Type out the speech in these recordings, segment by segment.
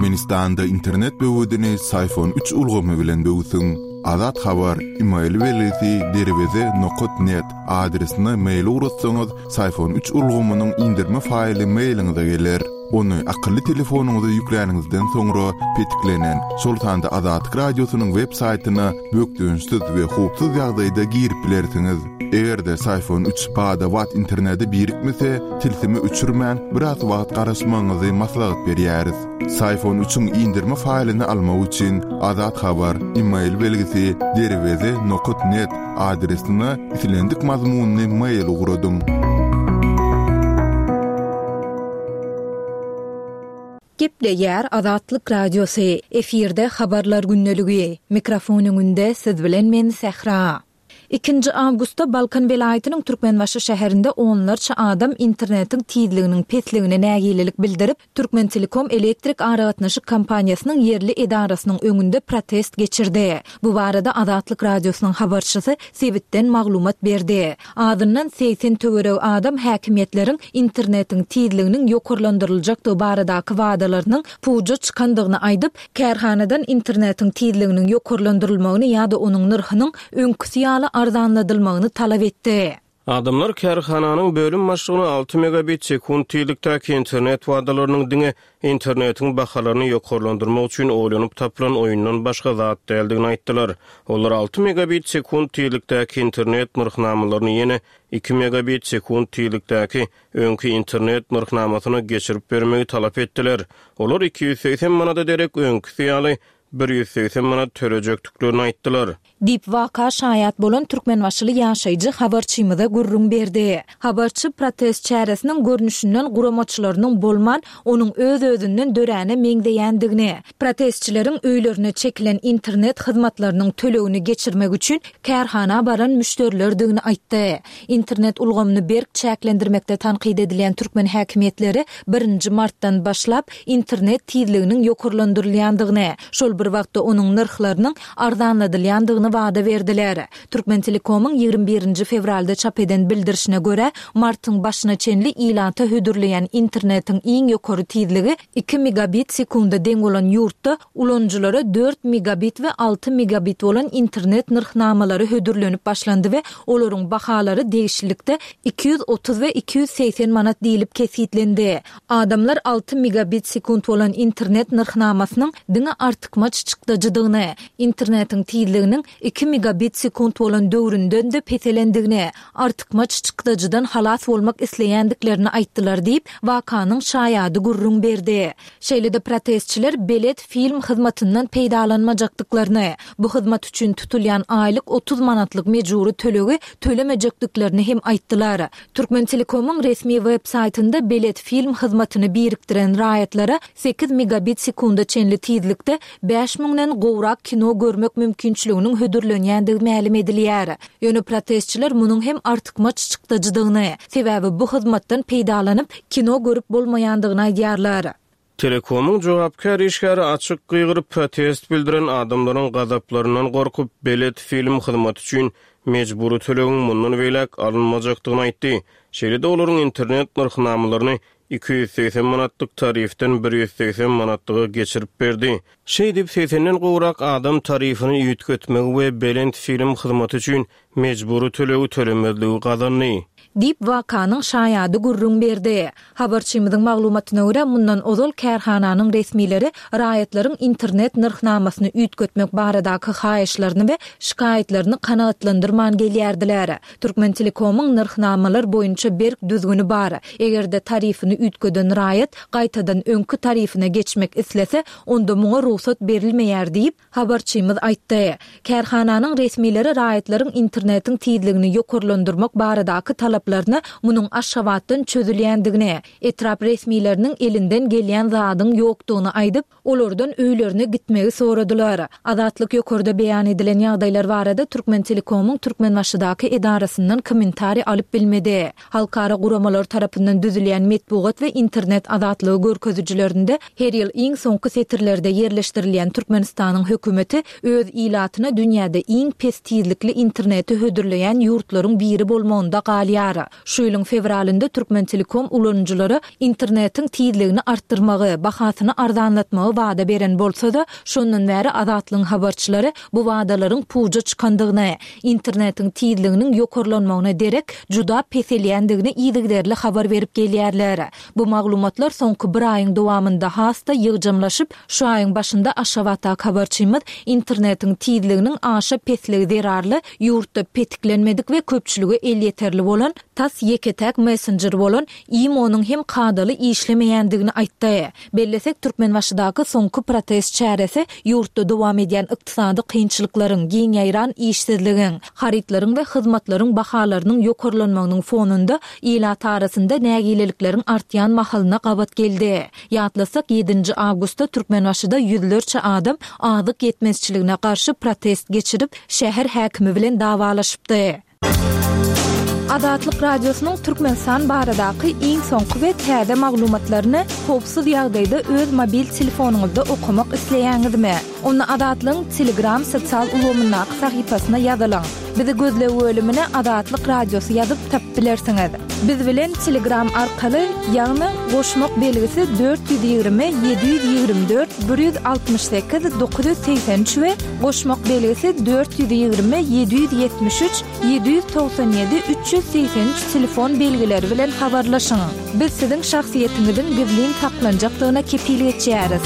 Türkmenistanda internet böwedini Syfon üç ulgamy bilen böwsüň. Azat Habar, email belgisi derweze nokat net adresine mail ugratsaňyz, Syfon üç ulgamynyň indirme faýly mailiňize geler. Ony akylly telefonyňyza ýükläniňizden soňra petiklenen, şol sanda Azatlyk Radiosynyň web saýtyna bökdençsiz we howpsuz ýagdaýda girip bilersiňiz. Eger-de Syfon üç bada-bat internete birikmese, tilsimi öçürmän, biraz wagt garaşmagyňyzy maslahat berýäris. Syfon üçiň indirme faýlyny almak üçin Azat Habar, email belgisi derweze nokat net adresine islendik mazmunly mail ugradyň. Gepleýär Azatlyk Radiosy, efirde Habarlar gündeligi. Mikrofon öňünde siz bilen men Sähra. Ikinji awgustda Balkan welaýatynyň Türkmenbaşy şäherinde onlarça adam internetiň tizliginiň pesligine nägilelik bildirip, Türkmentelekom elektrik aragatnaşyk kompaniýasynyň ýerli edarasynyň öňünde protest geçirdi. Bu barada Azatlyk Radiosynyň habarçysy sebitden maglumat berdi. Azyndan 80 töweregi adam häkimiýetleriň internetiň tizliginiň ýokarlandyryljakdygy baradaky wadalarynyň puja çykandygyny aýdyp, Kärhanadan internetiň tizliginiň ýokarlandyrylmagyny ýa-da onuň nyrhynyň öňküsi ýaly arzanladylmagyny talap etdi. Adamlar kärhananyň bölüm başlygyna alty megabit sekunt tizlikdäki internet wadalarynyň diňe internetiň bahalaryny ýokarlandyrmak üçin oýlanyp tapylan oýundan başga zat däldigini aýtdylar. Olar alty megabit sekunt tizlikdäki internet nyrhnamalaryny ýene iki megabit sekunt tizlikdäki öňki internet nyrhnamasyna geçirip bermegi talap etdiler. Olar 280 manada derek öňküsi ýaly 180 manat tölejekdiklerini aýtdylar. Diýip, waka şaýat bolan türkmenbaşyly ýaşaýjy habarçymyza gürrüň berdi. Habarçy protest çäresiniň görnüşinden guramaçylarynyň bolman, onuň öz-özünden döräne meňzeýändigini, protestçileriň öýlerine çekilen internet hyzmatlarynyň tölegini geçirmek üçin kärhana baran müşderilerdigini aýtdy. Internet ulgamyny berk çäklendirmekde tankyt edilýän türkmen häkimiýetleri birinji martdan başlap internet tizliginiň ýokarlandyrylýandygyny, şol bir wagtda onuň nyrhlarynyň arzanladylýandygyny wada berdiler. Türkmentelekomyň 21 nji fewralda çap eden bildirişine görä, martyň başyna çenli ilata hödürleýän internetiň iň ýokary tizligi iki megabit sekunda deň bolan ýurtda Ulanyjylara dört megabit we alty megabit bolan internet nyrhnamalary hödürlenip başlandy we olaryň bahalary degişlilikde 230 we 280 manat diýlip kesgitlendi. Adamlar alty megabit sekunt bolan internet nyrhnamasynyň diňe artykmaç çykdajydygyny, internetiň tizliginiň iki megabit sekunt bolan döwründen-de peselendigini, artykmaç çykdajydan halas bolmak isleýändiklerini aýtdylar diýip, wakanyň şaýady gürrüň berdi. Şeýle-de protestçiler Belet film hyzmatyndan peýdalanmajakdyklaryny, bu hyzmat üçin tutulýan aýlyk 30 manatlyk mejbury tölegi tölemejekdiklerini hem aýtdylar. Türkmentelekomyň resmi web saýtynda Belet film hyzmatyny birikdiren raýatlara sekiz megabit sekunda çenli tizlikde bäş müňden gowrak kino görmek mümkinçiliginiň hödürlenýändigi mälim edilýär. Ýöne protestçiler munuň hem artykmaç çykdajydygyny, sebäbi bu hyzmatdan peýdalanyp, kino görüp bolmaýandygyny aýdýarlar. Telekomyň jogapkär işgäri açyk gygyryp protest bildiren adamlaryň gazaplaryndan gorkup, Belet film hyzmaty üçin mejbury tölegiň mundan beýläk alynmajakdygyny aýtdy. Şeýle-de olaryň internet nyrhnamalaryny 280 manatlyk tarifden 180 manatlyga geçirip berdi. Şeýdip, segsenden gowrak adam tarifini üýtgetmegi we Belent film hyzmaty üçin mejbury tölegi tölemezligi gazandy. Diýip, wakanyň şaýady gürrüň berdi. Habarçymyzyň maglumatyna görä, mundan ozal kärhananyň resmileri raýatlaryň internet nyrhnamasyny üýtgetmek baradaky haýyşlaryny we şikaýatlaryny kanagatlandyrman gelýärdiler. Türkmentelekomyň nyrhnamalar boýunça berk düzgüni bar. Eger-de tarifini üýtgeden raýat gaýtadan öňki tarifine geçmek islese, onda muňa rugsat berilmeýär diýip, habarçymyz aýtdy. Kärhananyň resmileri raýatlaryň internetiň tizligini ýokarlandyrmak baradaky talaplaryna munuň Aşgabatdan çözülýändigini, etrap resmileriniň elinden gelýän zadyň ýokdugyny aýdyp, olardan öýlerine gitmegi soradylar. Azatlyk ýokarda beýan edilen ýagdaýlar barada Türkmentelekomyň Türkmenbaşydaky edarasyndan kommentariý alyp bilmedi. Halkara guramalar tarapyndan düzülýän metbugat we internet azatlygy görkezijilerinde her ýyl iň soňky setirlerde ýerleşdirilýän Türkmenistanyň hökümeti öz ilatyna dünýäde iň pes tizlikli interneti hödürleýän ýurtlaryň biri bolmagynda galýar. aýdylýar. Şu ýylyň fewralynda Türkmentelekom ulanyjylara internetiň tizligini artdyrmagy, bahasyny arzanlatmagy wada beren bolsa-da, şondan bäri Azatlygyň habarçylary bu wadalaryň puja çykandygyny, internetiň tizliginiň ýokarlanmagyna derek, juda peselýändigini yzygiderli habar berip gelýärler. Bu maglumatlar soňky bir aýyň dowamynda has-da ýygjamlaşyp, şu aýyň başynda Aşgabatdaky habarçymyz internetiň tizliginiň aşa pesligi zerarly ýurtda petiklenmedik we köpçülige elýeterli bolan tas ýeke-täk messenjer bolan IMO-nyň hem kadaly işlemeýändigini aýtdy. Bellesek, Türkmenbaşydaky soňky protest çäresi ýurtda dowam edýän ykdysady kynçylyklaryň, giň ýaýran işsizligiň, harytlaryň we hyzmatlaryň bahalarynyň ýokarlanmagynyň fonunda ilat arasynda nägilelikleriň artýan mahalyna gabat geldi. Ýatlasak, ýedinji awgustda Türkmenbaşyda ýüzlerçe adam azyk ýetmezçiligine garşy protest geçirip, şäher häkimi bilen dawalaşypdy. Azatlyk Radiosynyň Türkmenistan baradaky iň soňky we täze maglumatlaryny howpsuz ýagdaýda öz mobil telefonyňyzda okamak isleýäňizmi? Onda Azatlygyň Telegram sosial ulgamyndaky sahypasyna ýazylyň. Bizi gözleg bölümine Azatlyk Radiosy ýazyp tapyp bilersiňiz. Biz bilen Telegram arkaly, ýagny goşmak belgisi 420 724 168 983 we goşmak belgisi 420 773 797 383 telefon belgileri bilen habarlaşyň. Biz siziň şahsyýetiňiziň gizlin saklanjakdygyna kepil geçýäris.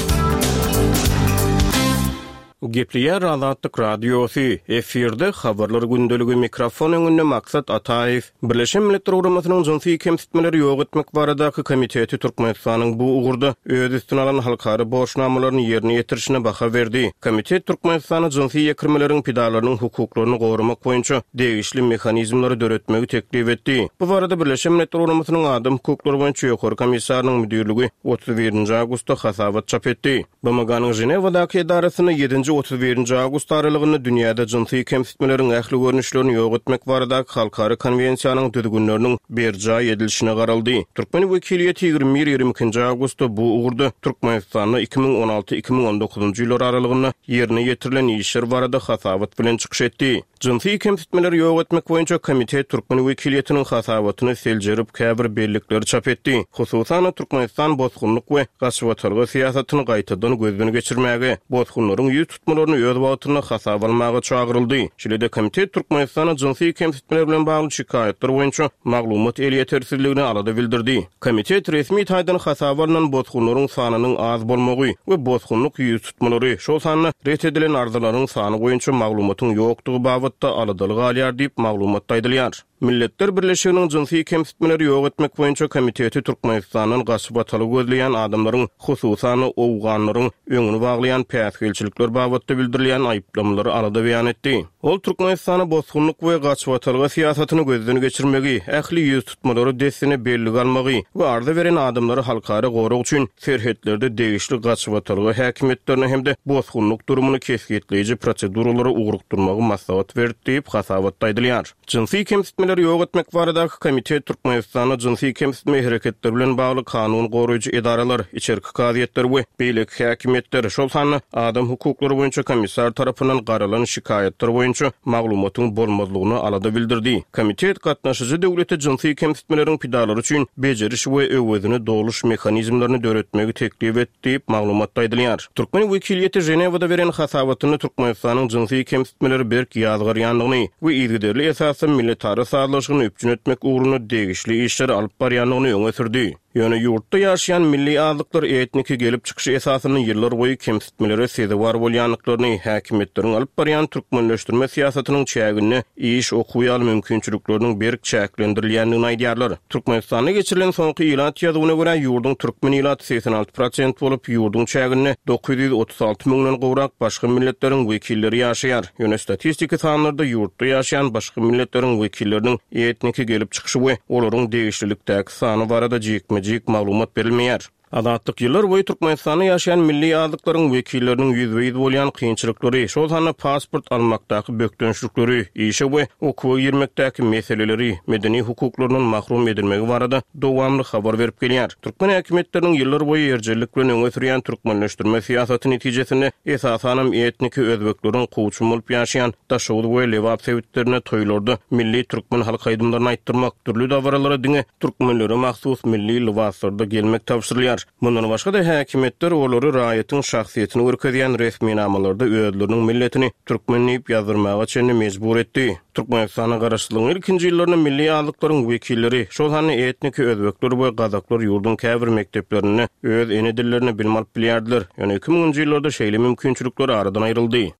Gepleýär Azatlyk Radiosy, efirde Habarlar gündeligi, mikrofon öňünde Maksat Ataýew. Birleşen Milletler Guramasynyň Jynsy kemsitmeleri ýok etmek baradaky komiteti Türkmenistanyň bu ugurda öz üstüne alan halkara borçnamalaryny ýerine ýetirişine baha berdi. Komitet Türkmenistana jynsy ýekirmeleriň pidalarynyň hukuklaryny goramak boýunça degişli mehanizmleri döretmegi teklip etdi. Bu barada Birleşen Milletler Guramasynyň Adam hukuklary boýunça Ýokary komissarynyň müdirligi 31 awgustda hasabat çap etdi. BMG-niň Ženewadaky edarasynda ýedinji, 31 nji awgust aralygynda dünýäde jynsy kemsitmeleriň ähli görnüşlerini ýok etmek baradaky halkara konwensiýanyň düzgünleriniň berjaý edilişine garaldy. Türkmen wekiliýeti 21, 22 nji awgustda bu ugurda Türkmenistanda 2016, 2019 njy ýyllar aralygynda ýerine ýetirilen işler barada hasabat bilen çykyş etdi. Jynsy kemsitmeleri ýok etmek boýunça komitet türkmen wekiliýetiniň hasabatyny seljerip, käbir bellikleri çap etdi. Hususan-da, Türkmenistan bosgunlyk we gaçybatalga syýasatyny gaýtadan gözden geçirmäge, bosgunlaryň ýüz tutmalaryny öz wagtynda hasaba almaga çagyryldy. Şeýle-de, komitet Türkmenistanda jynsy kemsitmeler bilen bagly şikaýatlar boýunça maglumat elýetersizligine alada bildirdi. Komitet resmi taýdan hasaba alnan bosgunlaryň sanynyň az bolmagy we bosgunlyk ýüztutmalary, şol sanda ret edilen arzalaryň sany boýunça maglumatyň ýokdugy babatda aladaly galýar diýip, maglumatda aýdylýar. Milletler Birleşiginiň Jynsy kemsitmeleri ýok etmek boýunça komiteti Türkmenistandan gaçybatalga gözleýän adamlaryň, hususan-da, owganlaryň öňüni baglaýan päsgelçilikler babatda bildirilýän aýyplamalary alada beýan etdi. Ol Türkmenistana bosgunlyk we gaçybatalga syýasatyny gözden geçirmegi, ähli ýüztutmalary dessine bellige almagy we arza beren adamlary halkara gorag üçin serhetlerde degişli gaçybatalga häkimiýetlerine hem-de bosgunlyk durumyny kesgitleýji proseduralara ugrukdyrmagy maslahat berdi diýip, hasabatda aýdylýar. Jynsy kemsitmeleri ýok etmek baradaky komitet Türkmenistanda jynsy kemsitme hereketleri bilen bagly kanun goraýjy edaralar, içerki kazyýetler we beýleki häkimiýetler, şol sanda adam hukuklary boýunça komissar tarapyndan garalan şikaýatlar boýunça maglumatyň bolmazlygyna alada bildirdi. Komitet gatnaşyjy döwlete jynsy kemsitmeleriň pidalary üçin bejeriş we öwezini doluş mehanizmlerini döretmegi teklip etdi diýip, maglumatda aýdylýar. Türkmen wekiliýeti Ženewada beren hasabatynda Türkmenistanyň jynsy kemsitmeleri berk ýazgarýandygyny we yzygiderli esasda milletara sazlaşygyny üpjün etmek ugrunda degişli işleri alyp barýandygyny öňe sürdi. Ýöne ýurtda ýaşaýan milli azlyklar etniki gelip çykyşy esasynda ýyllarboýy kemsitmelere sezewar bolýandyklaryny, häkimiýetleriň alyp barýan türkmenleşdirme syýasatynyň çäginde iş, okuw ýaly mümkinçilikleriniň berk çäklendirilýändigini aýdýarlar. Türkmenistanda geçirilen soňky ilat ýazuwyna görä, ýurduň türkmen ilaty 86 prosent bolup, ýurduň çäginde 936 müňden gowrak başga milletleriň wekilleri ýaşaýar. Ýöne statistiki sanlarda ýurtda ýaşaýan başga milletleriň wekilleriniň etniki gelip çykyşy we olaryň degişlilikdäki sany barada jikme-jik maglumat berilmeýär. Azatlyk ýyllar boýy Türkmenistanda ýaşaýan milli azlyklaryň wekilleriniň ýüzbe-ýüz bolýan kynçylyklary, şol sanda pasport almakdaky bökdençlikleri, işe we okuwa girmekdäki meseleleri, medeni hukuklaryndan mahrum edilmegi barada dowamly habar berip gelýär. Türkmen häkimiýetleriniň ýyllar boýy erjellik bilen öňe sürýän türkmenleşdirme syýasaty netijesinde esasanam etniki özbekleriň kowçum bolup ýaşaýan Daşoguz we Lebap sebitlerinde toýlarda milli türkmen halk aýdymlaryny aýtdyrmak, dürli dabaralara diňe Türkmenlere mahsus milli lybaslarda gelmek tabşyrylýar. Mundan başga-da, häkimiýetler olary raýatyň şahsyýetini görkezýän resminamalarda özleriniň milletini türkmen diýip ýazdyrmaga çenli mejbur etdi. Türkmenistanda garaşsyzlygyň ilkinji ýyllarynda milli azlyklaryň wekilleri, şol sanda etniki özbekler we gazaklar ýurduň käbir mekdeplerinde öz ene dillerinde bilim alyp bilýärdiler. Ýöne iki müňünji ýyllarda şeýle mümkinçilikler aradan aýryldy.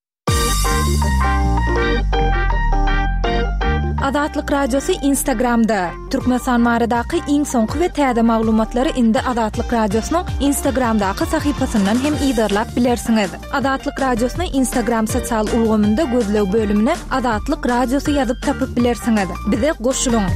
Azatlyk Radiosy Instagramda, Türkmenistan baradaky iň soňky we täze maglumatlary indi Azatlyk Radiosynyň Instagramdaky sahypasyndan hem yzarlap bilersiňiz. Azatlyk Radiosyny Instagram sosial ulgamynda gözleg bölümine Azatlyk Radiosy ýazyp tapyp bilersiňiz. Bize goşulyň!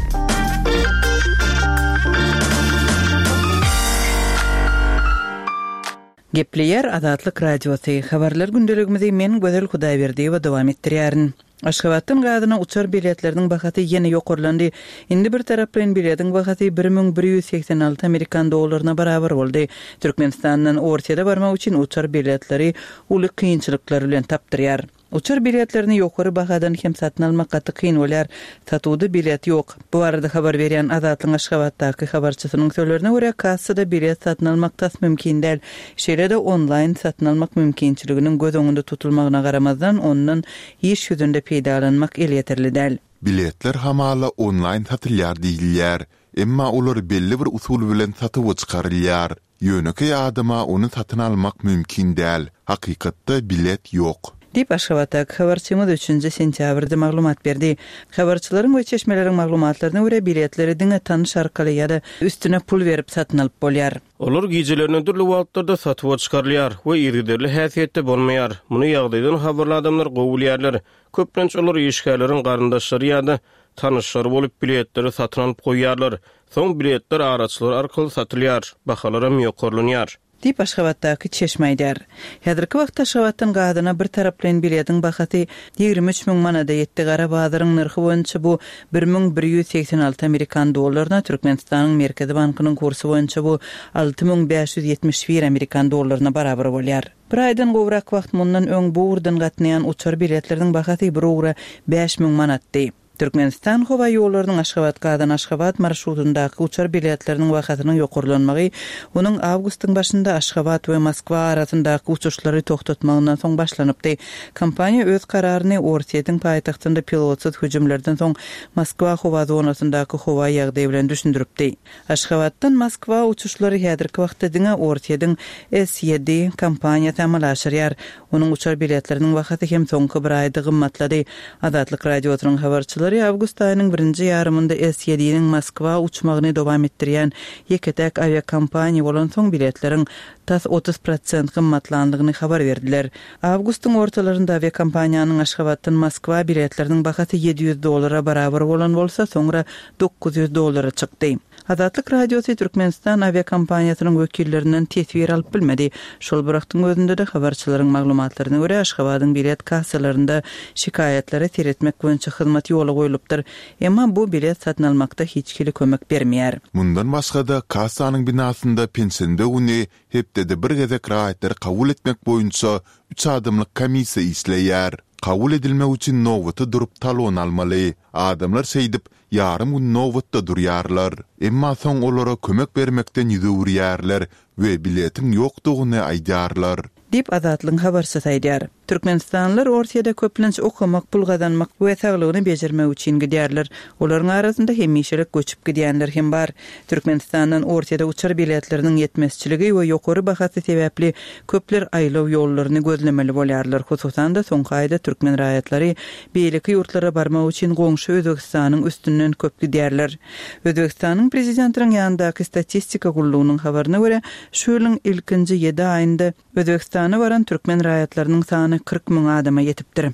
Gepleýär Azatlyk Radiosy, Habarlar gündeligimizi men Gözel Hudaýberdiýewa dowam etdirýärin. Aşgabatdan Gazana uçar biletleriniň bahasy ýene ýokarlandy. Indi bir taraplaýyn biletiň bahasy 1186 amerikan dollaryna barabar boldy. Türkmenistandan Orsýete barmak üçin uçar biletleri uly kynçylyklar bilen tapdyrýar. Uçar biletlerini ýokary bahadan hem satyn almak gaty kyn bolýar. Satuwda bilet ýok. Bu barada habar berýän Azatlygyň Aşgabatdaky habarçysynyň sözlerine görä, kassada bilet satyn almak tas mümkin däl. Şeýle-de onlaýn satyn almak mümkinçiliginiň göz öňünde tutulmagyna garamazdan, ondan iş ýüzünde peýdalanmak elýeterli däl. Biletler hamala onlaýn satylýar diýilýär. Emma olar belli bir usul bilen satuwa çykarylýar. Ýönekeý adama ony satyn almak mümkin däl, hakykatda bilet ýok. Diýip, Aşgabatdaky habarçymyz üçünji sentýabrda maglumat berdi. Habarçylaryň we çeşmeleriň maglumatlaryna görä, biletleri diňe tanyş arkaly ýa-da üstüne pul berip satyn alyp bolýar. Olar gijelerine dürli wagtlarda satuwa çykarylýar we yzygiderli häsiýetde bolmaýar. Muny ýagdaýdan habarly adamlar gowy bilýärler. Köplenç olar işgärleriň garyndaşlary ýa-da tanyşlary bolup biletleri satyn alyp goýýarlar. Soň biletler araçylar arkaly satylýar, bahalaram ýokarlanýar. Diýip, Aşgabatdaky çeşme aýdýar. Häzirki wagtda Aşgabatdan Gazana bir taraplaýyn biletiň bahasy 23 müň manada ýetdi, gara bazaryň nyrhy boýunça bu 1186 amerikan dollaryna, Türkmenistanyň Merkezi bankynyň kursy boýunça bu 6571 amerikan dollaryna barabar bolýar. Bir aýdan gowrak wagt mundan öň bu ugurdan gatnaýan uçar biletleriniň bahasy bir ugra 5000 manatdy. Türkmenistan howaýollarynyň Aşgabat-Gazan-Aşgabat marşrutyndaky uçar biletleriniň bahasynyň ýokarlanmagy onuň awgustyň başynda Aşgabat we Moskwa arasyndaky uçuşlary togtatmagyndan soň başlanypdy. Kompaniýa öz kararyny Orsýetiň paýtagtynda pilotsyz hüjümlerden soň Moskwa howa zonasyndaky howa ýagdaýy bilen düşündiripdi. Aşgabatdan Moskwa uçuşlary häzirki wagtda diňe Orsýetiň S-ýedi kompaniýasy amala aşyrýar. Onuň uçar biletleriniň bahasy hem soňky bir aýda gymmatlady. Azatlyk Radiosynyň habarçylary awgust aýynyň birinji ýarymynda S-ýediniň Moskwa uçmagyny dowam etdirýän ýeke-täk awiakompaniýa bolansoň biletleriň tas 30 prosent gymmatlandygyny habar berdiler. Awgustyň ortalarynda awiakompaniýanyň Aşgabatdan Moskwa biletleriniň bahasy 700 dollara barabar bolan bolsa, soňra 900 dollara çykdy. Azatlyk Radiosy Türkmenistan awiakompaniýasynyň wekillerinden teswir alyp bilmedi. Şol bir wagtyň özünde-de, habarçylaryň maglumatlaryna görä, Aşgabadyň bilet kassalarynda şikaýatlara seretmek boýunça hyzmat ýola goýlupdyr. Emma bu bilet satyn almakda hiç hili kömek bermeýär. Mundan başga-da, kassanyň binasynda penşenbe güni hepdede bir gezek raýatlary kabul etmek boýunça üç adamlyk komissiýa işleýär. Kabul edilmek üçin nobata durup talon almaly. Adamlar şeýdip, ýarym gün nobatda durýarlar. Emma soň olara kömek bermekden ýüz öwürýärler we biletiň ýokdugyny aýdýarlar. Diýip, Azatlygyň habarçysy aýdýar. Türkmenistanlylar Orsýede köplenç okamak, pul gazanmak we saglygyny bejermek üçin gidýärler. Olaryň arasynda hemişelik göçüp gidýänler hem bar. Türkmenistandan Orsýede uçar biletleriniň ýetmezçiligi we ýokary bahasy sebäpli köpler aýlaw ýollaryny gözlemeli bolýarlar. Hususan-da, soňky aýda türkmen raýatlary beýleki ýurtlara barmak üçin goňşy Özbegistanyň üstünden köp gidýärler. Özbegistanyň Prezidentiniň ýanyndaky statistika gullugynyň habaryna görä, şu ýylyň ilkinji ýedi aýynda Özbegistana baran türkmen raýatlarynyň sany 40 müň adama ýetipdir.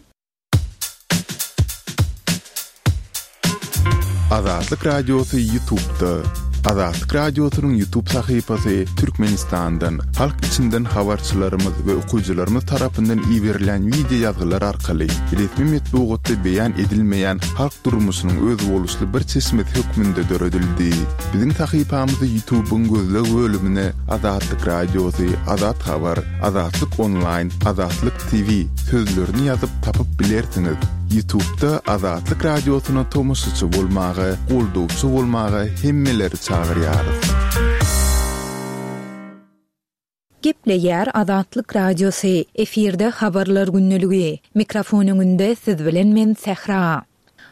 Azatlyk Radiosy Ýutubda. Azatlyk Radiosynyň YouTube sahypasy Türkmenistandan, halk içinden habarçylarymyz we okyjylarymyz tarapyndan iberilýän wideo ýazgylar arkaly resmi metbugatda beýan edilmeýän halk durmuşynyň özboluşly bir çeşmesi hökmünde döredildi. Biziň sahypamyzy YouTube-yň gözleg bölümine Azatlyk Radiosy, Azat Habar, Azatlyk Onlaýn, Azatlyk TV sözlerini ýazyp tapyp bilersiňiz. Ýutubda Azatlyk Radiosyna tomaşaçy bolmaga, goldawçy bolmaga hemmeleri çagyrýarys. Gepleýär Azatlyk Radiosy, efirde Habarlar gündeligi. Mikrofon öňünde siz bilen men Sähra.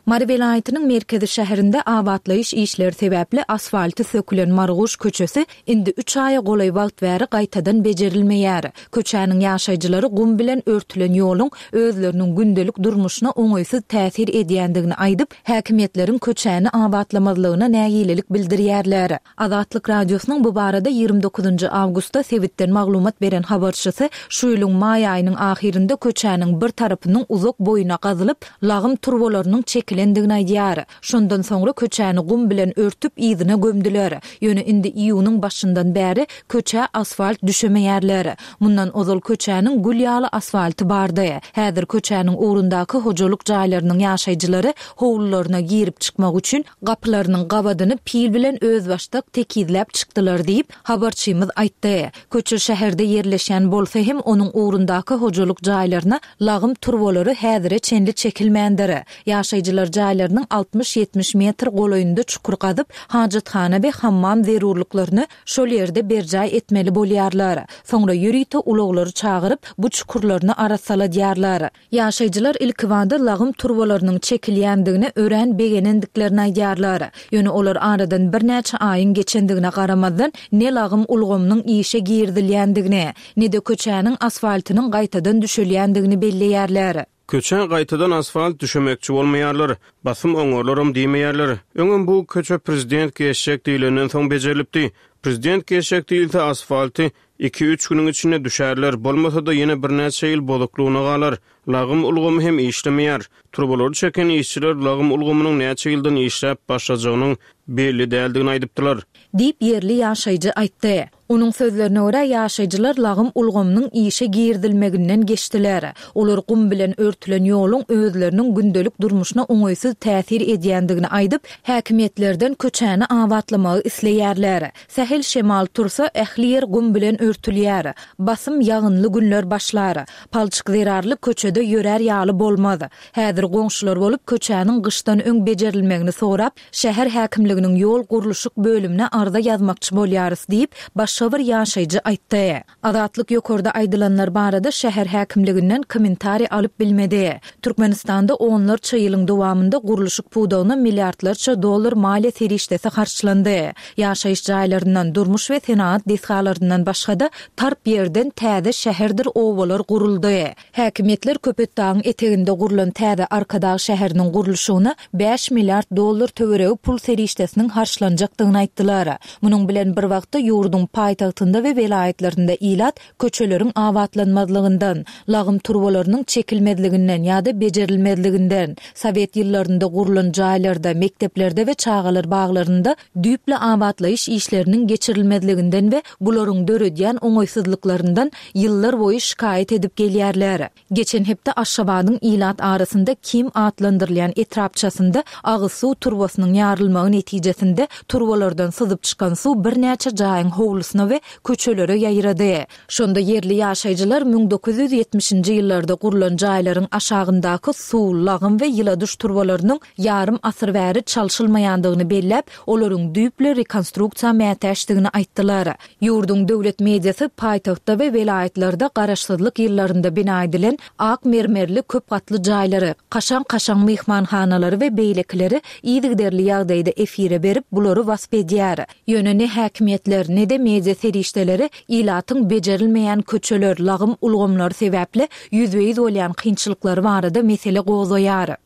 Mary welaýatynyň merkezi şäherinde abatlaýyş işleri sebäpli asfalty sökülen Marguş köçesi indi üç aýa golaý wagt bäri gaýtadan bejerilmeýär. Köçäniň ýaşaýjylary gum bilen örtülen ýoluň özleriniň gündelik durmuşyna oňaýsyz täsir edýändigini aýdyp, häkimiýetleriň köçäni abatlamazlygyna nägilelik bildirýärler. Azatlyk Radiosynyň bu barada 29 awgustda sebitden maglumat beren habarçysy şu ýylyň maý aýynyň ahyrynda köçäniň bir tarapynyň uzak boýuna gazylyp, lagym turbalarynyň çekilendigini aýdýar. Şondan soňra köçäni gum bilen örtüp, yzyna gömdüler. Ýöne indi iýunyň başyndan bäri köçä asfalt düşemeýärler. Mundan ozal köçäniň gül ýaly asfalty bardy. Häzir köçäniň ugrundaky hojalyk jaýlarynyň ýaşaýjylary howlularyna girip-çykmak üçin Gapylarynyň gabadyny pil bilen özbaşdak tekizläp çykdylar diýip, habarçymyz aýtdy. Köçe şäherde ýerleşýän bolsa hem onuň ugrundaky hojalyk jaýlaryna lagym turbalary häzire çenli çekilmändir. Ýaşaýjylar jaýlarynyň altmyş-ýetmiş metr golaýynda çukur gazyp, hajathana we hammam zerurlyklaryny şol ýerde berjaý etmeli bolýarlar. Soňra ýörite ulaglary çagyryp, bu çukurlaryny arassaladýarlar. Ýaşaýjylar ilkibada lagym turbalarynyň çekilýändigine örän begenendiklerini aýdýarlar. Ýöne olar aradan birnäçe aýyň geçendigine garamazdan, ne lagym ulgamynyň işe girizilýändigini, ne-de köçäniň asfaltynyň gaýtadan düşelýändigini belleýärler. Köçä gaýtadan asfalt düşemekçi bolmaýarlar. Basym oňarlaram diýmeýärler. Öňem bu köçe prezident geçjek diýlenden soň bejerilipdi. Prezident geçjek diýilse asfalty Iki-üç günüň içinde düşärler, bolmasa-da ýene birnäçe ýyl bozuklygyna galar. Lagym ulgamy hem işlemeýär. Turbalary çeken işçiler lagym ulgamynyň näçe ýyldan işläp başlajagynyň belli däldigini aýdypdylar. Diýip, ýerli ýaşaýjy aýtdy. Onuň sözlerine görä, ýaşaýjylar lagym ulgamynyň işe girizilmeginden geçdiler. Olar gum bilen örtülen ýoluň özleriniň gündelik durmuşyna oňaýsyz täsir edýändigini aýdyp, häkimiýetlerden köçäni abatlamagy isleýärler. Sähel şemal tursa, ähli ýer gum bilen örtülýär. Basym ýagynly günler başlar. Palçyk zerarly köçede ýörär ýaly bolmaz. Häzir goňşular bolup köçäniň gyşdan öň bejerilmegini sorap, şäher häkimliginiň ýol gurluşyk bölümine arza ýazmakçy bolýarys diýip, başga bir ýaşaýjy aýtdy. Azatlyk ýokarda aýdylanlar barada şäher häkimliginden kommentariý alyp bilmedi. Türkmenistanda onlarça ýylyň dowamynda gurluşyk pudagyna milliardlarça dollar maliýe serişdesi harçlandy. Ýaşaýyş jaýlaryndan, durmuş we senagat desgalaryndan başga-da tarp ýerden täze şäherdir obalar guruldy. Häkimiýetler Köpetdagyň eteginde gurlan täze Arkadag şäheriniň gurluşygyna bäş milliard dollar töweregi pul serişdesiniň harçlanjakdygyny aýtdylar. Munuň bilen bir wagtda, ýurduň paýtagtynda we welaýatlarynda ilat köçeleriň abatlanmazlygyndan, lagym turbalarynyň çekilmezliginden ýa-da bejerilmezliginden, sowet ýyllarynda gurlan jaýlarda, mekdeplerde we çagalar baglarynda düýpli abatlaýyş işleriniň geçirilmezliginden we bularyň döredýän oňaýsyzlyklaryndan ýyllar boýy şikaýat edip gelýärler. Geçen hepde Aşgabadyň ilat arasynda Kim atlandyrylýan etrapçasynda agyz suw turbasynyň ýarylmagy netijesinde turbalardan syzyp çykan suw birnäçe jaýyň howlusyna we köçelere ýaýrady. Şonda ýerli ýaşaýjylar 1970-nji ýyllarda gurlan jaýlaryň aşagyndaky suw, lagym we ýyladyş turbalarynyň ýarym asyr bäri çalşylmaýandygyny belläp, olaryň düýpli rekonstruksiýa mätäçdigini aýtdylar. Ýurduň döwlet mediasy paýtagtda we welaýatlarda garaşsyzlyk ýyllarynda bina edilen ak mermerli köp gatly jaýlary, kaşaň-kaşaň myhmanhanalary we beýlekileri yzygiderli ýagdaýda efire berip, bulary wasp edýär. Ýöne ne häkimiýetler, ne-de media serişdeleri ilatyň bejerilmeýän köçeler, lagym ulgamlary sebäpli ýüzbe-ýüz bolýan kynçylyklary barada mesele gozgaýar.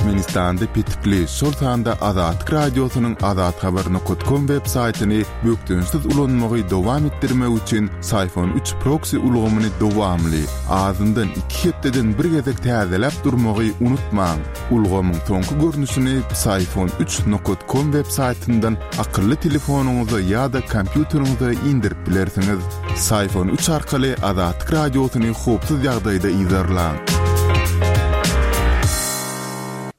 Türkmenistanda petikli, şol sanda Azatlyk Radiosynyň azathabar nokat kom web saýtyny bökdençsiz ulanmagy dowam etdirmek üçin Syfon üç proksi ulgamyny dowamly, azyndan iki hepdeden bir gezek täzeläp durmagy unutmaň. Ulgamyň soňky görnüşini Psiphon üç nokat kom web saýtyndan akylly telefonyňyza ýa-da kompýuteriňize indirip bilersiňiz. Psiphon üç arkaly Azatlyk Radiosyny howpsuz ýagdaýda yzarlaň.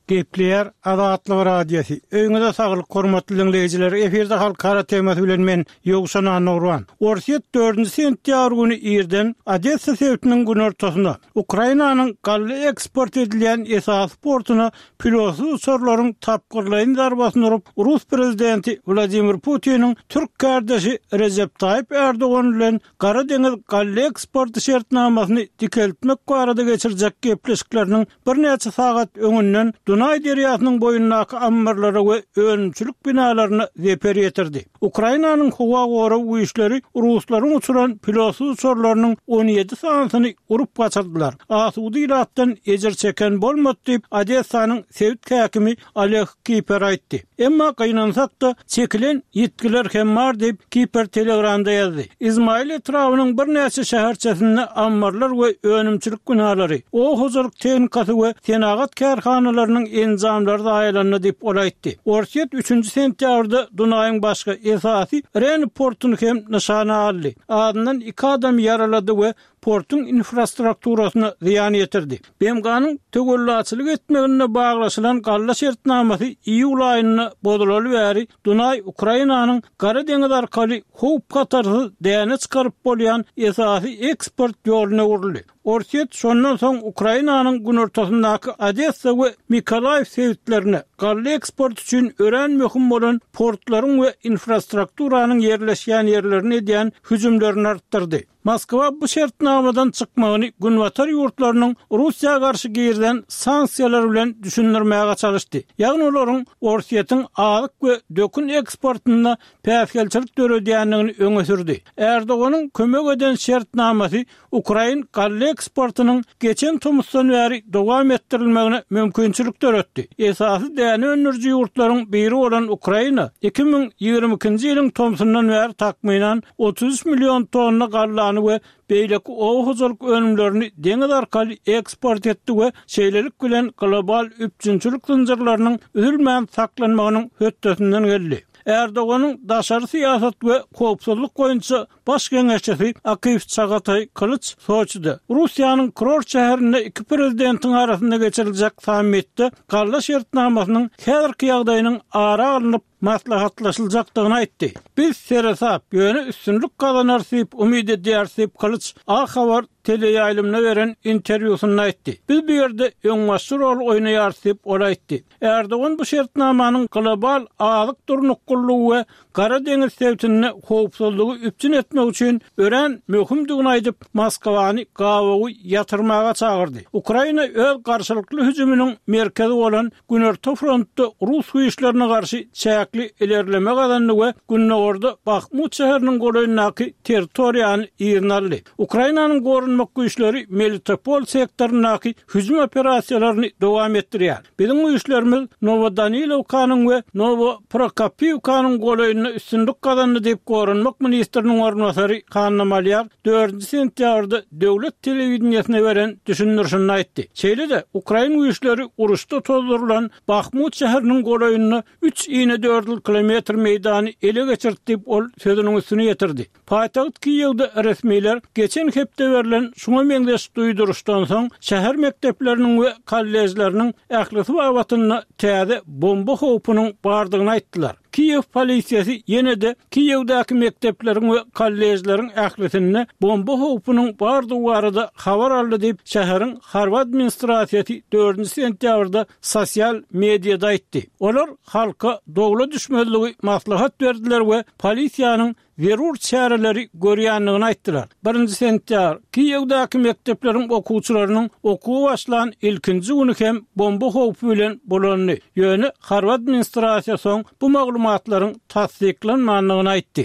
Gepleýär Azatlyk Radiosy. Öýüňize saglyk hormatly diňleýjiler. Efirde halkara temasy bilen men Ýowşan Annagurban. Orsýet dördünji sentýabr güni irden Odessa sebitiniň günortasynda, Ukrainanyň galla eksport edilýän esasy portuna pilotsyz uçarlaryň tapgyrlaýyn zarbasyny urup, rus prezidenti Wladimir Putiniň türk kärdeşi Rejep Taýyp Ärdogan bilen Gara deňiz galla eksporty şertnamasyny dikeltmek barada geçirjek gepleşikleriniň birnäçe sagat öňünden Dunaý derýasynyň boýundaky ammarlara we önümçilik binalaryna zeper ýetirdi. Ukrainanyň howa gorag güýçleri ruslaryň uçuran pilotsyz uçarlarynyň 17 sanysyny urup gaçyrdylar. Asuda ilatdan ejir çeken bolmady diýip, Odessanyň sebit häkimi Oleg Kiper aýtdy. Emma gynansak-da, çekilen ýitgiler hem bar diýip, Kiper Telegramda ýazdy. Izmail etrabynyň birnäçe şäherçesinde ammarlar we önümçilik binalary, oba hojalyk tehnikasy we senagat kärhanalarynyň enjamlary zaýalandy diýip, ol aýtdy. Orsýet üçünji sentýabrda Dunaýyň başga esasy Reni portuny hem nyşana aldy. Azyndan iki adamy ýaralady we portuň infrastrukturasyna zyýan ýetirdi. BMG-niň töwellaçylyk etmeginde baglaşylan galla şertnamasy iýul aýynda bozulaly bäri Dunaý Ukrainanyň Gara deňiz arkaly howp-hatarsyz däne çykaryp bolýan esasy eksport ýoluna öwrüldi. Orsýet şondan soň Ukrainanyň günortasyndaky Odessa we Mykolaýiw sebitlerine galla eksporty üçin örän möhüm bolan portlaryň we infrastrukturanyň ýerleşýän ýerlerine edýän hüjümlerini artdyrdy. Moskwa bu şertnamadan çykmagyny Günbatar ýurtlarynyň Russiýa garşy girizen sanksiýalary bilen düşündirmäge çalyşdy, ýagny olaryň Orsýetiň azyk we dökün eksportynda päsgelçilik döredýändigini öňe sürdi. Erdoganyň kömek eden şertnamasy ukrain galla eksportynyň geçen tomusdan bäri dowam etdirilmegine mümkinçilik döretdi. Esasy däne öndüriji ýurtlaryň biri bolan Ukraina 2022-nji ýylyň tomsundan bäri takmynan 33 million tonna gallany we beýleki oba hojalyk önümlerini deňiz arkaly eksport etdi we şeýlelik bilen global üpjünçilik zynjyrlarynyň üzülmän saklanmagynyň hötdesinden geldi. Erdoganyň daşary syýasat we howpsuzlyk boýunça Baş geňeşçisi Akif Çagataý Kylyç Soçide, Russiýanyň kurort şäherinde iki prezidentiň arasynda geçiriljek sammitde galla şertnamasynyň häzirki ýagdaýynyň ara alnyp maslahatlaşyljakdygyny aýtdy. Biz seresap, ýöne üstünlik gazanarys diýip umyt edýäris diýip, Kylyç A Habar teleýaýlymyna beren interwýusynda aýtdy. Biz bu ýerde öňbaşçy rol oýnaýarys diýip, ol aýtdy. Erdogan bu şertnamanyň global azyk durnuklylygy we Gara deňiz sebitinde howpsuzlygy üpjün etmek üçin örän möhümdigini aýdyp, Moskwany gabawy ýatyrmaga çagyrdy. Ukraina öz garşylykly hüjüminiň merkezi bolan Günorta frontda rus güýçlerine garşy çäkli ilerleme gazandy we gündogarda Bahmut şäheriniň golaýyndaky territoriýany yzyna aldy. Ukrainanyň goranmak güýçleri Melitopol sektoryndaky hüjüm operasiýalaryny dowam etdirýär. Biziň güýçlerimiz Nowodanilowkanyň we Nowoprokopiwkanyň golaýynda üstünlik gazandy diýip, goranmak ministriniň orunbasary Hanna Malýar dördünji sentýabrda döwlet telewideniýesine beren düşündirişinde aýtdy. Şeýle-de, ukrain güýçleri uruşda tozdurylan Bahmut şäheriniň golaýynda üç inedördül kilometr meýdany ele geçirdi diýip, ol sözüniň üstüni ýetirdi. Paýtagt Kiýewde resmiler geçen hepde berlen şuňa meňzeş duýduryşdan soň, şäher mekdepleriniň we kolležleriniň ählisi babatynda täze bomba howpunyň bardygyny aýtdylar. Kiýew polisiýasy ýene-de Kiýewdäki mekdepleriň we kolležleriň ählisinde bomba howpunyň bardygy barada habar aldy diýip, şäheriň harby administrasiýasy dördünji sentýabrda sosial mediada aýtdy. Olar halka dowla düşmezligi maslahat berdiler we polisiýanyň zerur çäreleri görýändigini aýtdylar. Birinji sentýabr, Kiýewdäki mekdepleriň okuwçylarynyň okuwa başlan ilkinji güni hem bomba howpy bilen bolandy. Ýöne harby administrasiýa soň bu maglumatlaryň tassyklanmandygyny aýtdy.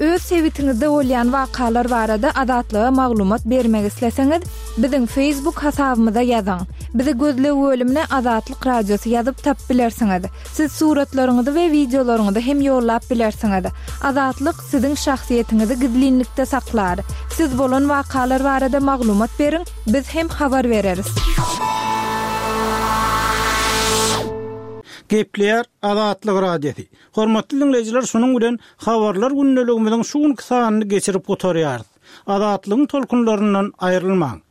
Öz sebitiňizde bolýan wakalar barada Azatlyga maglumat bermek isleseňiz, biziň Facebook hasabymyza ýazyň. Bizi gözleg bölümine Azatlyk Radiosy ýazyp tapyp bilersiňiz. Siz suratlaryňyzy we wideolaryňyzy hem ýollap bilersiňiz. Azatlyk siziň şahsyýetiňizi gizlinlikde saklar. Siz bolan wakalar barada maglumat beriň, biz hem habar bereris. Gepleýär Azatlyk Radiosy. Hormatly diňleýjiler şunuň bilen Habarlar gündeligimiziň şu günki sanyny geçirip gutarýarys. Azatlygyň tolkunlaryndan aýrylmaň!